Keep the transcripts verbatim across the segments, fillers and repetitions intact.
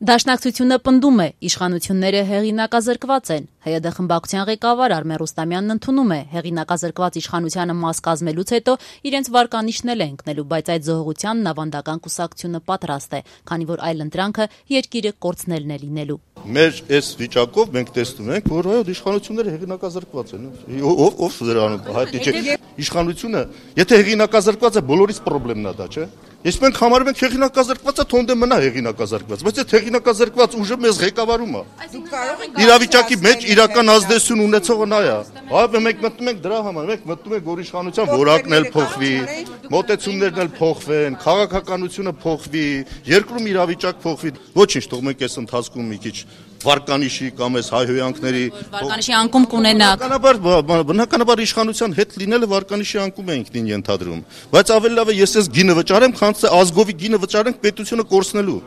Դաշնակցությունը պնդում է, իշխանությունները հեղինակազրկված են։ ՀՅԴ խմբակցության ղեկավար Արմեն Ռուստամյանն ընդունում է, հեղինակազրկված իշխանությանը մաս կազմելուց հետո իրենց վարկանիշն էլ է ընկնելու, բայց այդ զոհողությանն ավանդական կուսակցությունը պատրաստ է, քանի որ այլընտրանքը երկիրը կորցնելն է լինելու։ Մեր այս վիճակով մենք տեսնում ենք, որ այո, իշխանությունները հեղինակազրկված են։ Ով ով դրանում հայտնի չէ։ Իշխանությունը, եթե հեղինակազրկված է, բոլորից խնդիրն է դա, չէ՞։ Ես մենք համարում ենք հեղինակազրկվածը թոնդե մնա հեղինակազրկված, բայց այդ հեղինակազրկված ուժը մեզ ղեկավարում է։ Իրավիճակի մեջ իրական ազդեցություն ունեցողը նա է։ Այո, մենք մտնում ենք դրա համար, մենք մտնում ենք, որ իշխանության որակն էլ փոխվի, մոտեցումներն էլ փոխվեն, քաղաքականությունը փոխվի, երկրում իրավիճակ փոխվի։ Ոչինչ, թող մենք այս ընթացքում մի քիչ վարկանիշի կամ այս հայհոյանքների վարկանիշի անկում կունենաք։ Բնականաբար, բնականաբար իշխանության հետ լինելը վարկանիշի անկում է ինքնին ենթադրում, բայց ավելի լավ է ես այս գինը վճարեմ, քան թե ազգովի գինը վճարենք պետությունը կորցնելու։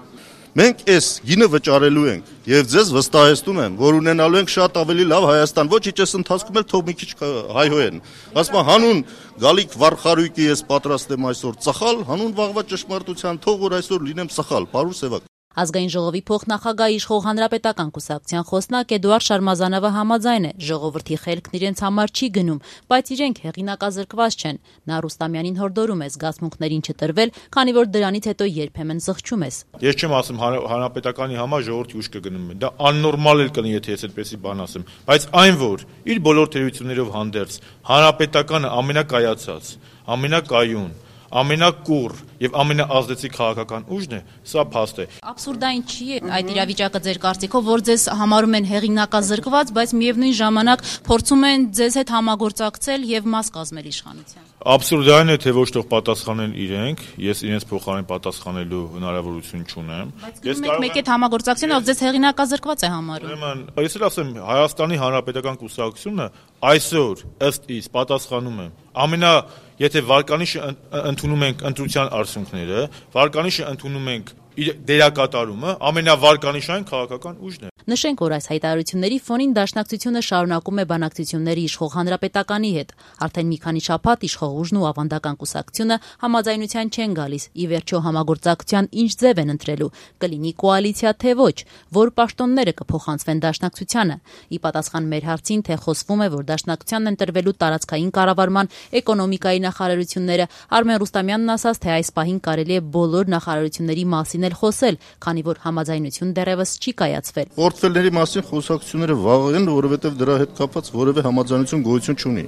Մենք այս գինը վճարելու ենք եւ ձեզ վստահեցնում եմ, որ ունենալու ենք շատ ավելի լավ Հայաստան, ոչինչ այս ընթացքում էլ թող մի քիչ հայհոյեն։ Ասում եմ հանուն գալիք վարխարույկի ես պատրաստ եմ այսօր ծխալ, հանուն վաղվա ճշմարտության թող որ այսօր լինեմ ծխալ, բարուր սևակ։ Ազգային ժողովի փոխնախագահ իշխող Հանրապետական կուսակցության խոսնակ Էդուարդ Շարմազանովը համաձայն է, ժողովրդի խելքն իրենց համար չի գնում, բայց իրենք հեղինակազրկված չեն։ Նա Ռուստամյանին հորդորում է զգացմունքներին չտրվել, քանի որ դրանից հետո երբեմն զղջում ես։ Ես չեմ ասում Հանրապետականի համար ժողովրդի ուշքը գնում է։ Դա աննորմալ էլ կլինի, եթե ես այդպեսի բան ասեմ, բայց այն որ իր բոլոր թերություններով հանդերձ Հանրապետականը ամենակայացած, ամենակայուն, ամենակուռ եւ ամենաազդեցիկ քաղաքական ուժն է, սա փաստ է։ Աբսուրդային չի է այդ իրավիճակը ձեր կարծիքով, որ ձեզ համարում են հեղինակազրկված, բայց միևնույն ժամանակ փորձում են ձեզ հետ համագործակցել եւ մաս կազմել իշխանության։ Աբսուրդային է, թե ոչ թող պատասխանեն իրենք, ես իրենց փոխարեն պատասխանելու հնարավորություն չունեմ։ Ես կարող եմ մեկ այդ համագործակցությունը, ով ձեզ հեղինակազրկված է համարում։ Ուրեմն, ես էլ ասեմ, Հայաստանի Հանրապետական կուսակցությունը այսօր ըստ իս պատասխանում է ամենա Եթե վարկանիշը ընդունում ենք ընտրության արդյունքները, վարկանիշը ընդունում ենք դերակատարումը, ամենավարկանիշային քաղաքական ուժն է։ Նշենք, որ այս հայտարարությունների ֆոնին Դաշնակցությունը շարունակում է բանակցությունների իշխող Հանրապետականի հետ։ Արդեն մի քանի շաբաթ իշխող ուժն ու ավանդական կուսակցությունը համաձայնության չեն գալիս, ի վերջո համագործակցության ինչ ձև են ընտրելու, կլինի կոալիցիա թե ոչ, որ պաշտոնները կփոխանցվեն Դաշնակցությանը։ Ի պատասխան մեր հարցին, թե խոսվում է, որ Դաշնակցությանն են տրվելու տարածքային կառավարման, էկոնոմիկայի նախարարությունները, Արմեն Ռուստամյանն ասաց, թե այս պահին կարելի է բոլոր նախարարությունների մասին էլ խոսել, քանի որ համաձայնություն դեռևս չի կայացվել։ Պորտֆելների մասին խոսակցությունները վաղ են, որովհետև դրա հետ կապված որևէ համաձայնություն գոյություն չունի։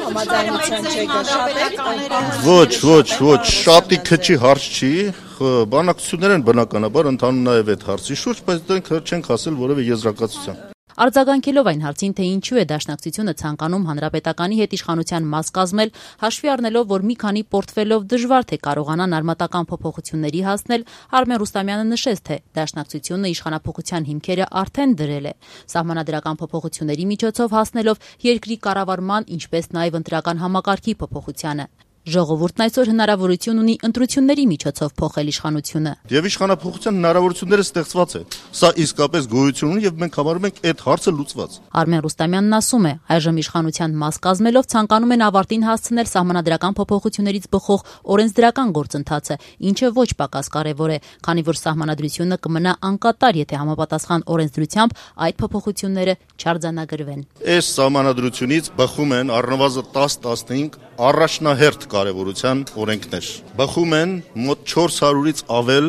Համաձայնության չեք Ոչ, ոչ, ոչ, շատի քչի հարց չի, բանակցություններ են բնականաբար ընթանում նաև այդ հարցի շուրջ, բայց դրանք չենք հասել որևէ եզրակացության։ Արձագանքելով այն հարցին, թե ինչու է Դաշնակցությունը ցանկանում Հանրապետականի հետ իշխանության մաս կազմել, հաշվի առնելով, որ մի քանի պորտֆելով դժվար թե կարողանան արմատական փոփոխությունների հասնել, Արմեն Ռուստամյանը նշեց, թե Դաշնակցությունը իշխանափոխության հիմքերը արդեն դրել է, սահմանադրական փոփոխությունների միջոցով հասնելով երկրի կառավարման, ինչպես նաև ընտրական համակարգի փոփոխությանը։ Ժողովուրդն այսօր հնարավորություն ունի ընտրությունների միջոցով փոխել իշխանությունը։ Եվ իշխանափոխության հնարավորությունները ստեղծված են։ Սա իսկապես գոյություն ունի եւ մենք համարում ենք այդ հարցը լուծված։ Արմեն Ռուստամյանն ասում է, այժմ իշխանության մաս կազմելով ցանկանում են ավարտին հասցնել սահմանադրական փոփոխություններից բխող օրենսդրական գործընթացը, ինչը ոչ պակաս կարևոր է, քանի որ սահմանադրությունը կմնա անկատար, եթե համապատասխան օրենսդրությամբ այդ փոփոխությունները չարձանագրվեն։ Այս սահմանադրությունից բխում են առնվազն տասը տասնհինգ առաջնահերթ կարևորության օրենքներ։ Բխում են մոտ չորս հարյուրից ավել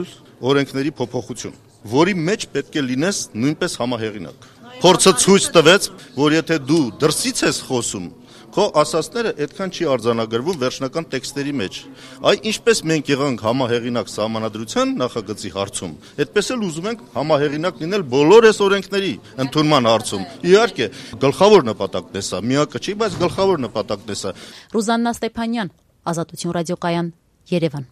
օրենքների փոփոխություն, որի մեջ պետք է լինես նույնպես համահեղինակ։ Փորձը ցույց տվեց, որ եթե դու դրսից ես խոսում, քո ասածները այդքան չի արձանագրվում վերջնական տեքստերի մեջ։ Այ ինչպես մենք եղանք համահեղինակ սահմանադրության նախագծի հարցում, այդպես էլ ուզում ենք համահեղինակ լինել բոլոր այս օրենքների ընդունման հարցում։ Իհարկե, գլխավոր նպատակն է սա, միակը չի, բայց գլխավոր նպատակն է սա։ Ռուզաննա Ստեփանյան, Ազատություն ռադիոկայան, Երևան։